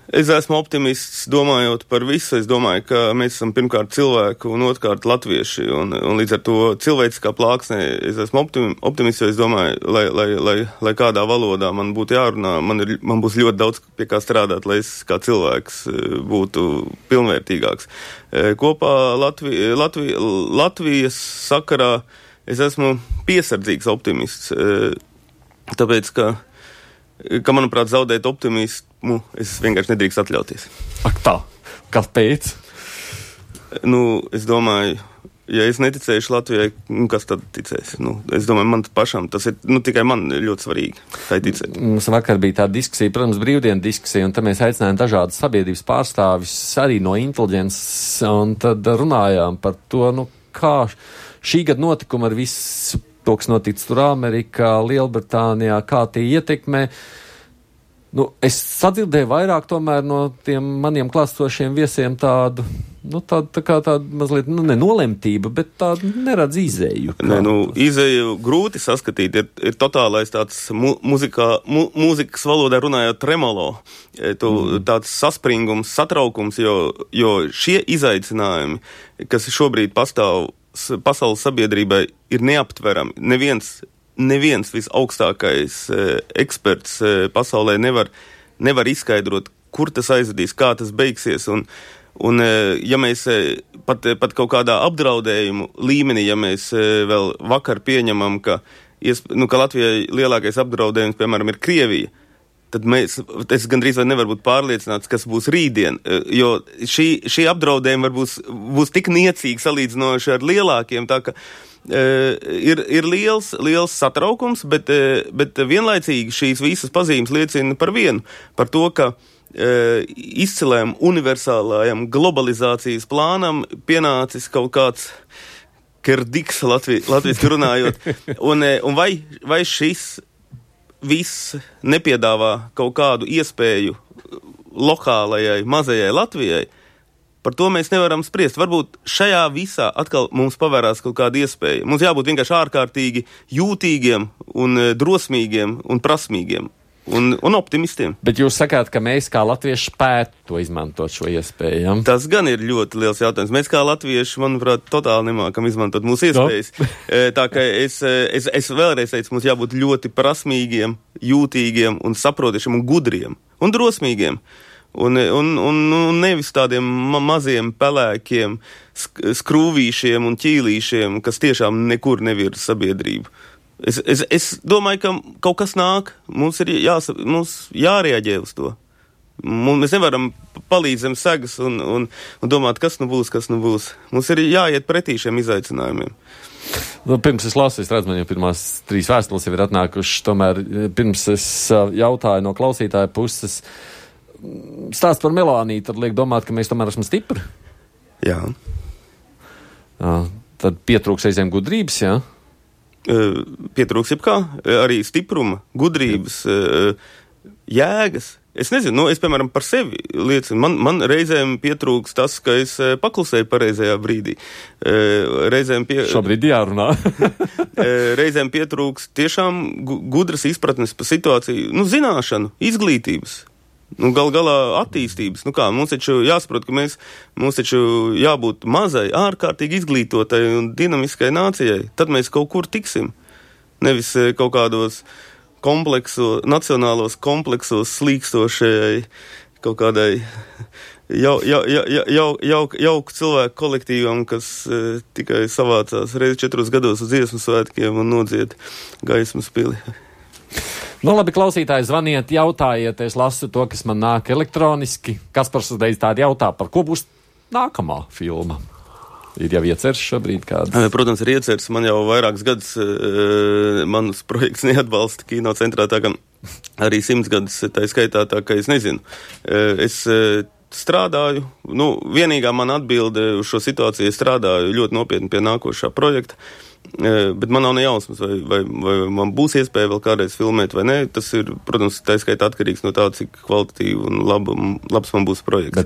Es esmu optimists, domājot par visu. Es domāju, ka mēs esam pirmkārt cilvēku un otrkārt latvieši. Un līdz ar to cilvēciskā plāksnē es esmu optimists, jo es domāju, lai kādā valodā man būtu jārunā, man būs ļoti daudz pie kā strādāt, lai es kā cilvēks būtu pilnvērtīgāks. Kopā Latvijas sakarā es esmu piesardzīgs optimists, tāpēc, ka manuprāt, zaudēt optimismu es vienkārši nedrīkst atļauties. Ak tā, kāpēc? Es domāju, ja es neticēšu Latvijai, kas tad ticēs? Es domāju, man pašam tas ir, tikai man ļoti svarīgi, tai ticēt. Mums vakar bija tā diskusija, protams, brīvdienu diskusija, un tad mēs aicinājām dažādas sabiedrības pārstāvis arī no inteliģences, un tad runājām par to, kā šī gada notikuma ar visu to, kas noticis tur Amerikā, Lielbritānijā, kā tie ietekmē. Es sadzirdēju vairāk tomēr no tiem maniem klāstošiem viesiem tādu mazliet, nenolemtība, bet tādu neredz izēju. Izēju grūti saskatīt, ir totālais tāds mūzikas valodā runājot tremolo, tāds saspringums, satraukums, jo šie izaicinājumi, kas šobrīd pastāv pasaules sabiedrībai, ir neaptverami. Neviens visaugstākais eksperts pasaulē nevar izskaidrot, kur tas aizvedīs, kā tas beigsies. Un ja mēs pat kaut kādā apdraudējumu līmenī, ja mēs vēl vakar pieņemam, ka Latvijai lielākais apdraudējums, piemēram, ir Krievija, tad es gandrīz vai nevaru būt pārliecināts, kas būs rītdien, jo šī apdraudējuma būs tik niecīgi salīdzinoši ar lielākiem, tā ka ir liels satraukums, bet vienlaicīgi šīs visas pazīmes liecina par vienu, par to, ka izcilējam universālajam globalizācijas plānam pienācis kaut kāds kerdiks latviski runājot, un vai šis viss nepiedāvā kaut kādu iespēju lokālajai, mazajai Latvijai, par to mēs nevaram spriest. Varbūt šajā visā atkal mums pavērās kaut kāda iespēja. Mums jābūt vienkārši ārkārtīgi jūtīgiem un drosmīgiem un prasmīgiem un optimistiem. Bet jūs sakāt, ka mēs kā latvieši spētu to izmantot šo iespēju, ja? Tas gan ir ļoti liels jautājums. Mēs kā latvieši, manuprāt, totāli nemākam izmantot mūsu iespējas. Tā kā es vēlreiz teicu, mums jābūt ļoti prasmīgiem, jūtīgiem un saprotiešiem un gudriem un drosmīgiem. Un nevis tādiem maziem pelēkiem, skrūvīšiem un ķīlīšiem, kas tiešām nekur nevirza sabiedrību. Es domāju, ka kaut kas nāk, mums ir jārēģē uz to. Mēs nevaram palīdz zem segas un domāt, kas nu būs. Mums ir jāiet pretī šiem izaicinājumiem. Pirms es lasu, es redzu, man jau pirmās 3 vēstules jau ir atnākušas, tomēr pirms es jautāju no klausītāja puses, stāst par Melāniju, tad liek domāt, ka mēs tomēr esam stipri? Jā. Tad pietrūks reizēm gudrības, jā? Pietrūks jebkā, arī stipruma, gudrības, jēgas. Es nezinu, es, piemēram, par sevi liecinu. Man reizēm pietrūks tas, ka es paklusēju pareizajā brīdī. Šobrīd jārunā. Reizēm pietrūks tiešām gudras izpratnes par situāciju, zināšanu, izglītības. Gal galā attīstības. Mums taču jāsaprot, ka mums taču jābūt mazai, ārkārtīgi izglītotai un dinamiskai nācijai. Tad mēs kaut kur tiksim. Nevis kaut kādos nacionālos kompleksos slīkstošajai kaut kādai jauku cilvēku kolektīvam, kas tikai savācās reizi 4 gados uz dziesmu svētkiem un nodzied gaismas pili. Labi, klausītāji, zvaniet, jautājiet, es lasu to, kas man nāk elektroniski. Kaspars uzreiz tādi jautā, par ko būs nākamā filma? Ir jau ieceres šobrīd kādas? Protams, ir ieceres. Man jau vairākus gadus manas projekts neatbalsta Kino centrā, tā kā arī 100 gadus tā skaitā, tā ka es nezinu. Es strādāju, vienīgā man atbilde uz šo situāciju, es strādāju ļoti nopietni pie nākošā projekta. Bet man nav ne jausmas, vai man būs iespēja vēl kādreiz filmēt vai nē. Tas ir, protams, tā skaitā atkarīgs no tā, cik kvalitatīvi un labs man būs projekts.